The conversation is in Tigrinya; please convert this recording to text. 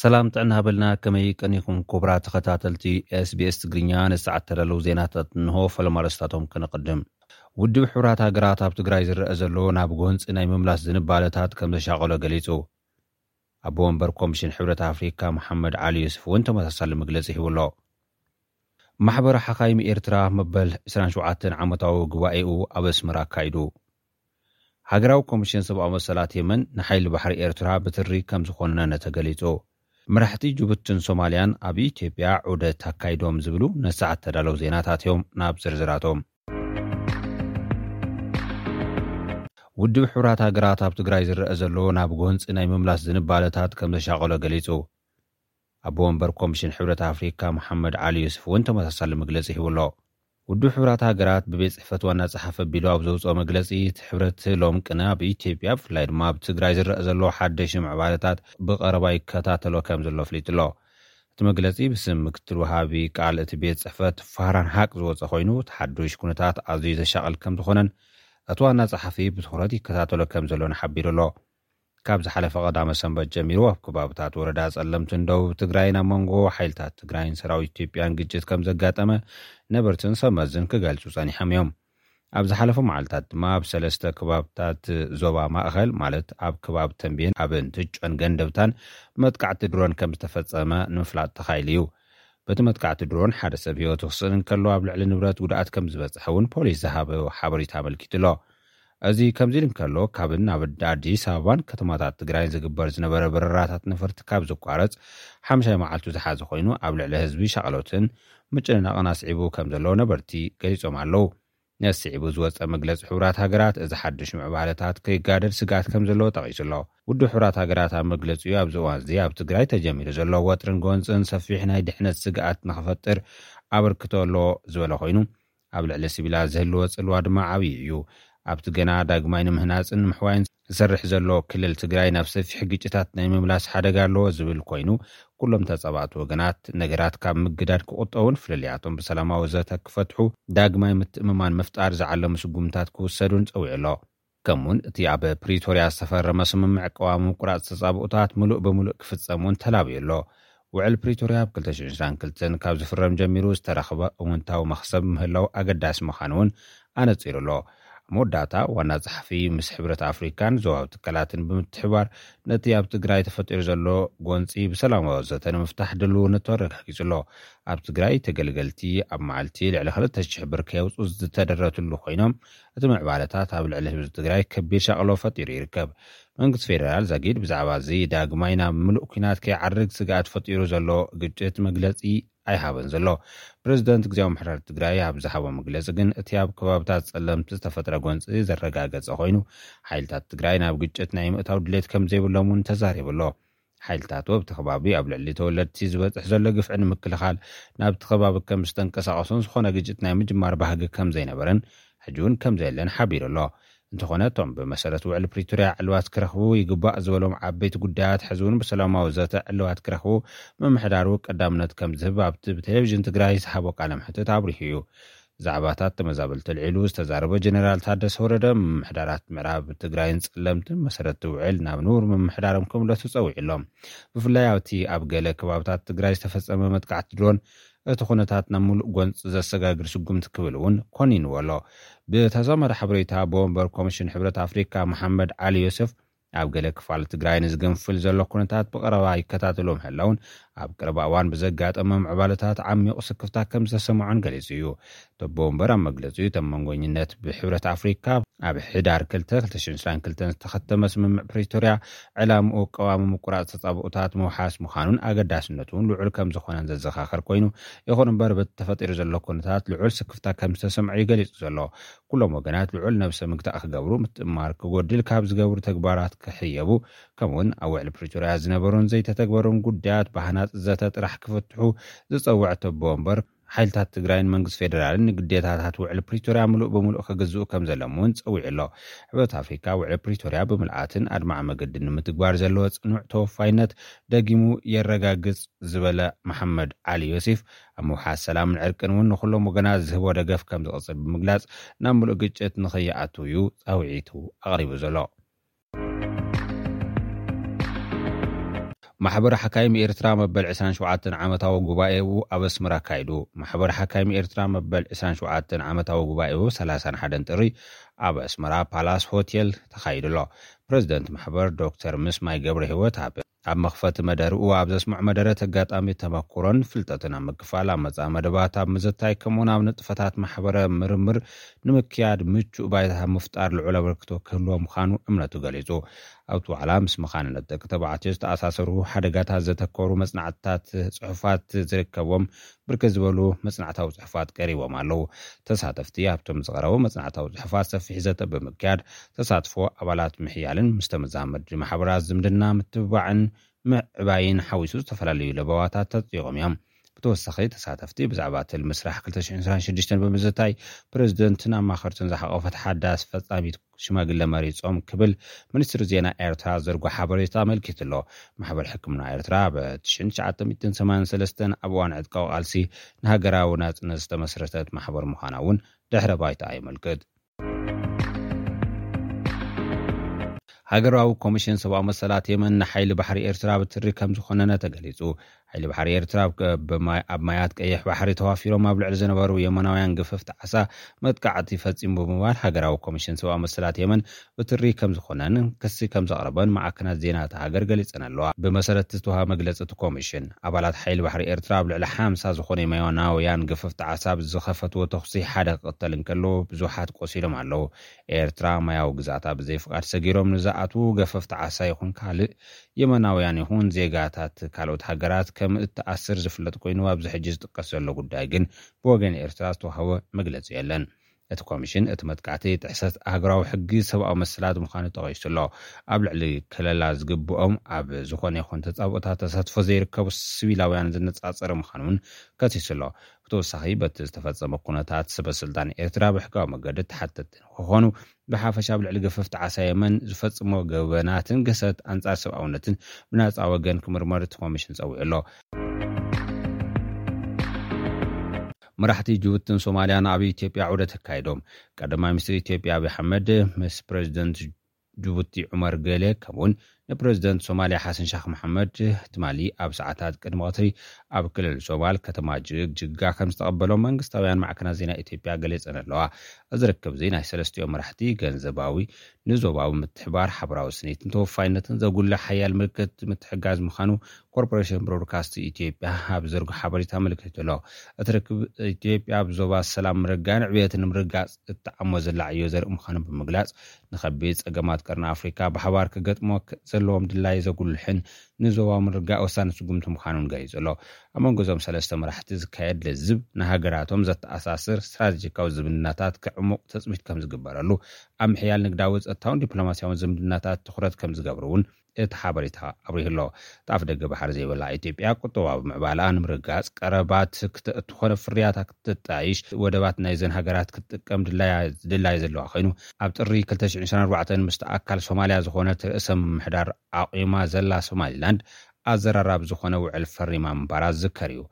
ሰላም ጥዕና ሃበልና፣ ከመይ ቀኒኹም ክቡራት ተኸታተልቲ ኤስቢኤስ ትግርኛ? ንሰዓት ተዳለዉ ዜናታት እንሆ። ፈለማ ኣርእስታቶም ከነቐድም። ውድብ ሕቡራት ሃገራት ኣብ ትግራይ ዝረአ ዘሎ ናብ ጎንፂ ናይ ምምላስ ዝንባለታት ከም ዘሻቐሎ ገሊጹ። ኣቦ ወንበር ኮሚሽን ሕብረት ኣፍሪካ መሓመድ ዓሊ ዩስፍ እውን ተመሳሳሊ መግለፂ ሂቡ ኣሎ። ማሕበር ሓኻይም ኤርትራ መበል ዕስራን ሸውዓተን ዓመታዊ ጉባኤኡ ኣብ ኣስመራ ኣካይዱ። ሃገራዊ ኮሚሽን ሰብኣዊ መሰላት የመን ንሓይሊ ባሕሪ ኤርትራ ብትሪ ከም ዝኾነነ ተገሊጹ። መራሕቲ ጅቡትን ሶማልያን ኣብ ኢትዮጵያ ዑደት ኣካይዶም ዝብሉ ነሰዓት ተዳለዉ ዜናታት እዮም። ናብ ዝርዝራቶም። ውድብ ሕቡራት ሃገራት ኣብ ትግራይ ዝረአ ዘሎ ናብ ጎንፂ ናይ ምምላስ ዝንባለታት ከም ዘሻቐሎ ገሊጹ። ኣቦ ወንበር ኮሚሽን ሕብረት ኣፍሪካ መሓመድ ዓሊ ዩስፍ እውን ተመሳሳሊ መግለፂ ሂቡ ኣሎ። ውድብ ሕቡራት ሃገራት ብቤት ጽሕፈት ዋና ጸሓፊ ኣቢሉ ኣብ ዘውፅኦ መግለፂ፣ እቲ ሕብረት ሎም ቅነ ኣብ ኢትዮጵያ ብፍላይ ድማ ኣብ ትግራይ ዝረአ ዘሎ ሓደሽ ምዕባለታት ብቐረባ ይከታተሎ ከም ዘሎ ኣፍሊጡ ኣሎ። እቲ መግለፂ ብስም ምክትል ወሃቢ ቃል እቲ ቤት ጽሕፈት ፋህራን ሃቅ ዝወፀ ኮይኑ፣ እቲ ሓዱሽ ኩነታት ኣዝዩ ዘሻቕል ከም ዝኾነን እቲ ዋና ጸሓፊ ብትኹረት ይከታተሎ ከም ዘሎን ሓቢሩ ኣሎ። ካብ ዝሓለፈ ቀዳመ ሰንበት ጀሚሩ ኣብ ከባብታት ወረዳ ጸለምትን ደቡብ ትግራይን ኣብ መንጎ ሓይልታት ትግራይን ሰራዊት ኢትዮጵያን ግጭት ከም ዘጋጠመ ነበርትን ሰመዝን ክገልጹ ጸኒሖም እዮም። ኣብ ዝሓለፉ መዓልታት ድማ ኣብ ሰለስተ ከባብታት ዞባ ማእኸል፣ ማለት ኣብ ከባቢ ተንቤን፣ ኣብ እንትጮን ገንደብታን መጥቃዕቲ ድሮን ከም ዝተፈጸመ ንምፍላጥ ተኻኢሉ እዩ። በቲ መጥቃዕቲ ድሮን ሓደ ሰብ ህይወቱ ክስእን እንከሎ፣ ኣብ ልዕሊ ንብረት ጉድኣት ከም ዝበጽሐ እውን ፖሊስ ዝሃበ ሓበሬታ ኣመልኪቱ ኣሎ። እዚ ከምዚ ኢሉ እንከሎ፣ ካብን ናብ ኣዲስ ኣበባን ከተማታት ትግራይን ዝግበር ዝነበረ በረራታት ነፈርቲ ካብ ዝቋረጽ ሓምሻይ መዓልቱ ዝሓዘ ኮይኑ፣ ኣብ ልዕሊ ህዝቢ ሻቕሎትን ምጭንናቕን ኣስዒቡ ከም ዘሎ ነበርቲ ገሊጾም ኣለዉ። ነዚ ስዒቡ ዝወጸ መግለጺ ሕቡራት ሃገራት፣ እዚ ሓድሽ ምዕባለታት ከይጋደድ ስግኣት ከም ዘለዎ ጠቒሱ ኣሎ። ውድብ ሕቡራት ሃገራት ኣብ መግለጺኡ፣ ኣብዚ እዋን እዚ ኣብ ትግራይ ተጀሚሩ ዘሎ ወጥርን ጎንጽን ሰፊሕ ናይ ድሕነት ስግኣት ንኽፈጥር ኣበርክቶ ኣለዎ ዝበለ ኮይኑ፣ ኣብ ልዕሊ ሲቪላት ዝህልዎ ጽልዋ ድማ ዓብዪ እዩ። ኣብቲ ገና ዳግማይ ንምህናጽን ንምሕዋይን ዝሰርሕ ዘሎ ክልል ትግራይ ናብ ሰፊሕ ግጭታት ናይ ምምላስ ሓደጋ ኣለዎ ዝብል ኮይኑ፣ ኩሎም ተጻባእቲ ወገናት ነገራት ካብ ምግዳድ ክቑጠቡን ፍልልያቶም ብሰላማዊ ዘተ ክፈትሑ ዳግማይ ምትእምማን ምፍጣር ዝዓለሙ ስጉምታት ክውሰዱን ጸዊዑ ኣሎ። ከምኡውን እቲ ኣብ ፕሪቶርያ ዝተፈረመ ስምምዕ ቀዋሚ ምቁራጽ ተጻብኦታት ምሉእ ብምሉእ ክፍጸም እውን ተላብዩ ኣሎ። ውዕል ፕሪቶርያ ኣብ ክልተ ሽሕን ዕስራን ክልተን ካብ ዝፍረም ጀሚሩ ዝተረኽበ እውንታዊ መኽሰብ ምህላው ኣገዳሲ ምዃኑ እውን ኣነጺሩ ኣሎ። ኣብ መወዳእታ ዋና ጸሓፊ ምስ ሕብረት ኣፍሪካን ዞባዊ ትካላትን ብምትሕባር ነቲ ኣብ ትግራይ ተፈጢሩ ዘሎ ጎንጺ ብሰላማዊ ዘተ ንምፍታሕ ድልውነቱ ኣረጋጊጹ ኣሎ። ኣብ ትግራይ ተገልገልቲ ኣብ መዓልቲ ልዕሊ ክልተ ሽሕ ብር ከየውፁ ዝተደረትሉ ኮይኖም፣ እቲ ምዕባለታት ኣብ ልዕሊ ህዝቢ ትግራይ ከቢድ ሻቕሎ ፈጢሩ ይርከብ። መንግስቲ ፌደራል ዛጊድ ብዛዕባ እዚ ዳግማይ ናብ ምሉእ ኲናት ከይዓርግ ስግኣት ፈጢሩ ዘሎ ግጭት መግለጺ ኣይሃበን ዘሎ። ፕሬዚደንት ግዜያዊ ምሕደራ ትግራይ ኣብ ዝሃቦ መግለጺ ግን፣ እቲ ኣብ ከባብታት ጸለምቲ ዝተፈጥረ ጎንጺ ዘረጋገጸ ኮይኑ፣ ሓይልታት ትግራይ ናብ ግጭት ናይ ምእታው ድሌት ከም ዘይብሎም እውን ተዛሪቡ ኣሎ። ሓይልታቱ ኣብቲ ከባቢ ኣብ ልዕሊ ተወለድቲ ዝበጽሕ ዘሎ ግፍዒ ንምክልኻል ናብቲ ከባቢ ከም ዝተንቀሳቐሱን ዝኾነ ግጭት ናይ ምጅማር ባህጊ ከም ዘይነበረን ሕጂ እውን ከም ዘየለን ሓቢሩ ኣሎ። እንተኾነ፣ እቶም ብመሰረት ውዕል ፕሪቶርያ ዕልባት ክረኽቡ ይግባእ ዝበሎም ዓበይቲ ጉዳያት ሕዚ እውን ብሰላማዊ ዘተ ዕልባት ክረኽቡ ምምሕዳሩ ቀዳምነት ከም ዝህብ ኣብቲ ብቴሌቪዥን ትግራይ ዝሃቦ ቃለ መሕትት ኣብሪሁ እዩ። ዛዕባታት ተመዛበልቲ ኣልዒሉ ዝተዛረበ ጀነራል ታደሰ ወረደ፣ ምምሕዳራት ምዕራብ ትግራይን ጸለምትን መሰረት ውዕል ናብ ንቡር ምምሕዳሮም ክምለሱ ጸዊዑ ኣሎ። ብፍላይ ኣብቲ ኣብ ገለ ከባብታት ትግራይ ዝተፈጸመ መጥቃዕቲ ድሮን እቲ ኩነታት ናብ ምሉእ ጎንፂ ዘሰጋግር ስጉምቲ ክብል እውን ኮኒንዎ ኣሎ። ብተዛማዲ ሓበሬታ ኣቦ ወንበር ኮሚሽን ሕብረት ኣፍሪካ መሓመድ ዓሊ ዮሴፍ፣ ኣብ ገለ ክፋል ትግራይ ንዝግንፍል ዘሎ ኩነታት ብቐረባ ይከታተሎ ምህላውን ኣብ ቀረባ እዋን ብዘጋጠመ ምዕባለታት ዓሚቑ ስክፍታ ከም ዝተሰምዖን ገሊጹ እዩ። ተቦ ወንበር ኣብ መግለጺኡ፣ እቶም መንጎኝነት ብሕብረት ኣፍሪካ ኣብ ሕዳር ክልተ ክልተ ሽሕን ዕስራን ክልተን ዝተኸተመ ስምምዕ ፕሪቶርያ ዕላምኡ ቀዋሚ ምቁራጽ ተጻብኦታት ምውሓስ ምዃኑን ኣገዳስነቱ እውን ልዑል ከም ዝኾነን ዘዘኻኸር ኮይኑ፣ ይኹን እምበር በቲ ተፈጢሩ ዘሎ ኩነታት ልዑል ስክፍታ ከም ዝተሰምዖ እዩ ገሊጹ ዘሎ። ኩሎም ወገናት ልዑል ነብሰ ምግታእ ክገብሩ፣ ምትእምማር ክጎድል ካብ ዝገብሩ ተግባራት ክሕየቡ፣ ከምኡውን ኣብ ውዕሊ ፕሪቶርያ ዝነበሩን ዘይተተግበሩን ጉዳያት ብሃናጺ ዘተ ጥራሕ ክፍትሑ ዝጸውዐ ተቦ እምበር፣ ሓይልታት ትግራይን መንግስቲ ፌደራልን ንግዴታታት ውዕሊ ፕሪቶርያ ምሉእ ብምሉእ ክግዝኡ ከም ዘለዎም እውን ጸዊዑ ኣሎ። ሕብረት ኣፍሪካ ውዕሊ ፕሪቶርያ ብምልኣትን ኣድማዒ መገድን ንምትግባር ዘለዎ ጽኑዕ ተወፋይነት ደጊሙ የረጋግጽ ዝበለ መሓመድ ዓሊ ዮሴፍ፣ ኣብ ምውሓስ ሰላምን ዕርቅን እውን ንኹሎም ወገናት ዝህቦ ደገፍ ከም ዝቕጽል ብምግላጽ፣ ናብ ምሉእ ግጭት ንኸይኣትው እዩ ጻውዒቱ ኣቕሪቡ ዘሎ። ማሕበር ሓካይም ኤርትራ መበል ዕስራን ሸውዓተን ዓመታዊ ጉባኤኡ ኣብ ኣስመራ ኣካይዱ። ማሕበር ሓካይም ኤርትራ መበል ዕስራን ሸውዓተን ዓመታዊ ጉባኤኡ ሰላሳን ሓደን ጥሪ ኣብ ኣስመራ ፓላስ ሆቴል ተኻይዱ ኣሎ። ፕሬዚደንት ማሕበር ዶክተር ምስማይ ገብረ ህይወት ኣብ ኣብ መኽፈቲ መደርኡ ኣብ ዘስምዖ መደረ፣ ተጋጣሚ ተመክሮን ፍልጠትን ኣብ ምክፋል፣ ኣብ መጻኢ መደባት ኣብ ምዝታይ፣ ከምኡውን ኣብ ንጥፈታት ማሕበረ ምርምር ንምክያድ ምቹእ ባይታ ምፍጣር ልዑል ኣበርክቶ ክህልዎ ምዃኑ እምነቱ ገሊጹ። ኣብቲ ዋዕላ ምስ መኻንነት ደቂ ተባዕትዮ ዝተኣሳሰሩ ሓደጋታት ዘተኮሩ መጽናዕትታት ጽሑፋት ዝርከብዎም ብርክት ዝበሉ መጽናዕታዊ ጽሑፋት ቀሪቦም ኣለዉ። ተሳተፍቲ ኣብቶም ዝቐረቡ መጽናዕታዊ ጽሑፋት ሰፊሕ ዘተ ብምክያድ፣ ተሳትፎ ኣባላት ምሕያልን ምስ ተመዛመድቲ ማሕበራት ዝምድና ምትብባዕን ምዕባይን ሓዊሱ ዝተፈላለዩ ለበዋታት ተጥይቖም እዮም። ብተወሳኺ፣ ተሳተፍቲ ብዛዕባ ትልሚ ስራሕ ክልተ ሽሕን ዕስራን ሽዱሽተን ብምዝታይ፣ ፕሬዚደንትን ኣማኸርትን ዝሓቖፈት ሓዳስ ፈጻሚት ሽማግለ መሪጾም ክብል ሚኒስትሪ ዜና ኤርትራ ዘርጎ ሓበሬታ ኣመልኪቱ ኣሎ። ማሕበር ሕክምና ኤርትራ ኣብ ትሽዓተ ሚእትን ሰማንያን ሰለስተን ኣብ እዋን ዕጥቃዊ ቃልሲ ንሃገራዊ ናጽነት ዝተመስረተት ማሕበር ምዃና እውን ድሕረ ባይታ የመልክት። ሃገራዊ ኮሚሽን ሰብኣዊ መሰላት የመን ንሓይሊ ባሕሪ ኤርትራ ብትሪ ከም ዝኾነነ ተገሊጹ። ሓይሊ ባሕሪ ኤርትራ ኣብ፣ ኣብ ማያት ቀይሕ ባሕሪ ተዋፊሮም ኣብ ልዕሊ ዝነበሩ የመናውያን ግፍፍቲ ዓሳ መጥቃዕቲ ፈጺሙ ብምባል፣ ሃገራዊ ኮሚሽን ሰብኣዊ መሰላት የመን ብትሪ ከም ዝኾነን ክሲ ከም ዘቕረበን ማዕከናት ዜና እታ ሃገር ገሊጸን ኣለዋ። ብመሰረት ዝተዋሃበ መግለጺ እቲ ኮሚሽን፣ ኣባላት ሓይሊ ባሕሪ ኤርትራ ኣብ ልዕሊ ሓምሳ ዝኾኑ የመናውያን ግፍፍቲ ዓሳ ብዝኸፈትዎ ተኹሲ ሓደ ክቕተል እንከሎ፣ ብዙሓት ቆሲሎም ኣለዉ። ኤርትራ ማያዊ ግዛታ ብዘይ ፍቓድ ሰጊሮም ንዝኣትዉ ገፈፍቲ ዓሳ ይኹን ካልእ የመናውያን ይኹን ዜጋታት ካልኦት ሃገራት ከም እትኣስር ዝፍለጥ ኮይኑ፣ ኣብዚ ሕጂ ዝጥቀስ ዘሎ ጉዳይ ግን ብወገን ኤርትራ ዝተዋህበ መግለጺ የለን። እቲ ኮሚሽን እቲ መጥቃዕቲ ጥሕሰት ሃገራዊ ሕጊ ሰብኣዊ መሰላት ምዃኑ ጠቒሱ ኣሎ። ኣብ ልዕሊ ከለላ ዝግብኦም ኣብ ዝኾነ ይኹን ተጻብኦታት ተሳትፎ ዘይርከቡ ሲቪላውያን ዝነጻጸረ ምዃኑ እውን ከሲሱ ኣሎ። ብተወሳኺ፣ በቲ ዝተፈጸመ ኩነታት ሰበ ስልጣን ኤርትራ ብሕጋዊ መገዲ ተሓተትቲ ንክኾኑ፣ ብሓፈሻ ኣብ ልዕሊ ገፈፍቲ ዓሳ የመን ዝፈጽሞ ገበናትን ግህሰት ኣንጻር ሰብኣውነትን ብናጻ ወገን ክምርመር እቲ ኮሚሽን ጸዊዑ ኣሎ። መራሕቲ ጅቡትን ሶማልያን ኣብ ኢትዮጵያ ዑደት ኣካይዶም። ቀዳማይ ሚኒስትር ኢትዮጵያ ኣብይ ኣሕመድ ምስ ፕሬዚደንት ጅቡቲ ዑመር ገሌ፣ ከምኡውን ንፕሬዚደንት ሶማልያ ሓሰን ሻክ መሓመድ ትማሊ ኣብ ሰዓታት ቅድሚ ቀትሪ ኣብ ክልል ሶማል ከተማ ጅግጅጋ ከም ዝተቐበሎም መንግስታውያን ማዕከናት ዜና ኢትዮጵያ ገሊጸን ኣለዋ። እዚ ርክብ እዚ ናይ ሰለስቲኦም መራሕቲ ገንዘባዊ፣ ንዞባዊ ምትሕባር፣ ሓበራዊ ስኒትን ተወፋይነትን ዘጉልሕ ሓያል ምልክት ምትሕጋዝ ምዃኑ ኮርፖሬሽን ብሮድካስት ኢትዮጵያ ኣብ ዘርጎ ሓበሬታ ኣመልኪቱ ኣሎ። እቲ ርክብ ኢትዮጵያ ኣብ ዞባ ሰላም ምርጋን ዕብየትን ንምርጋጽ እትዓሞ ዘላ ዕዮ ዘርኢ ምዃኑ ብምግላጽ፣ ንኸቢድ ጸገማት ቀርኒ ኣፍሪካ ብሓባር ክገጥሞ ክ-፣ ዘለዎም ድላይ ዘጉልሕን ንዞባዊ ምርጋእ ወሳኒ ስጉምቲ ምዃኑን ገሊጹ ኣሎ። ኣብ መንጎ እዞም ሰለስተ መራሕቲ ዝካየድ ልዝብ፣ ንሃገራቶም ዘተኣሳስር ስትራቴጂካዊ ዝምድናታት ክዕሙቕ ትጽቢት ከም ዝግበረሉ፣ ኣብ ምሕያል ንግዳዊ፣ ጸጥታውን ዲፕሎማስያውን ዝምድናታት ትኹረት ከም ዝገብሩ እውን እቲ ሓበሬታ ኣብሪሁ ኣሎ። ጣፍ ደገ ባሕሪ ዘይብላ ኢትዮጵያ፣ ቁጠባዊ ምዕባለኣ ንምርጋጽ ቀረባት ክተ-፣ እትኾነ ፍርያታ ክትጣይሽ፣ ወደባት ናይዘን ሃገራት ክትጥቀም ድላያ-፣ ድላይ ዘለዋ ኮይኑ፣ ኣብ ጥሪ ክልተ ሽሕን ዕስራን ኣርባዕተን ምስቲ ኣካል ሶማልያ ዝኾነት ርእሰ ምምሕዳር ኣቑማ ዘላ ሶማሊላንድ ኣዘራራቢ ዝኾነ ውዕል ፈሪማ ምንባራ ዝዝከር እዩ።